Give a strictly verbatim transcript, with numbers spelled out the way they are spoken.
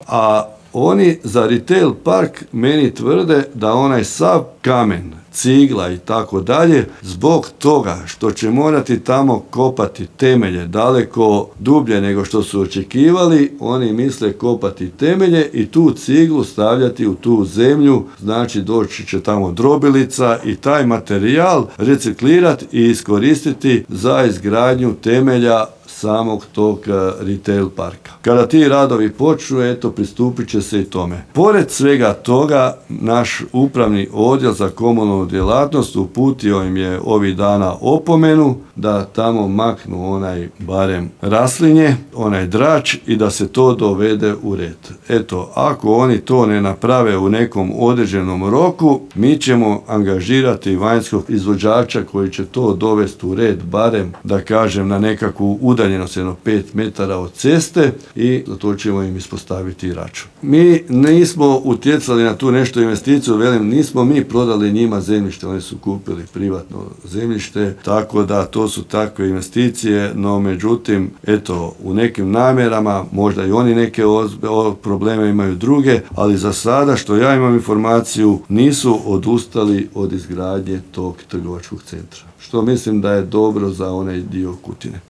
A oni za retail park meni tvrde da onaj sav kamen, cigla i tako dalje, zbog toga što će morati tamo kopati temelje daleko dublje nego što su očekivali, oni misle kopati temelje i tu ciglu stavljati u tu zemlju, znači doći će tamo drobilica i taj materijal reciklirati i iskoristiti za izgradnju temelja samog tog retail parka. Kada ti radovi počnu, eto, pristupit će se i tome. Pored svega toga, naš upravni odjel za komunalnu djelatnost uputio im je ovih dana opomenu da tamo maknu onaj barem raslinje, onaj drač i da se to dovede u red. Eto, ako oni to ne naprave u nekom određenom roku, mi ćemo angažirati vanjskog izvođača koji će to dovesti u red, barem da kažem na nekakvu udaljenost jedno pet metara od ceste i za to ćemo im ispostaviti račun. Mi nismo utjecali na tu nešto investiciju, velim, nismo mi prodali njima zemljište, oni su kupili privatno zemljište, tako da to su takve investicije, no međutim, eto, u nekim namjerama, možda i oni neke ozbe, probleme imaju druge, ali za sada, što ja imam informaciju, nisu odustali od izgradnje tog trgovačkog centra, što mislim da je dobro za onaj dio Kutine.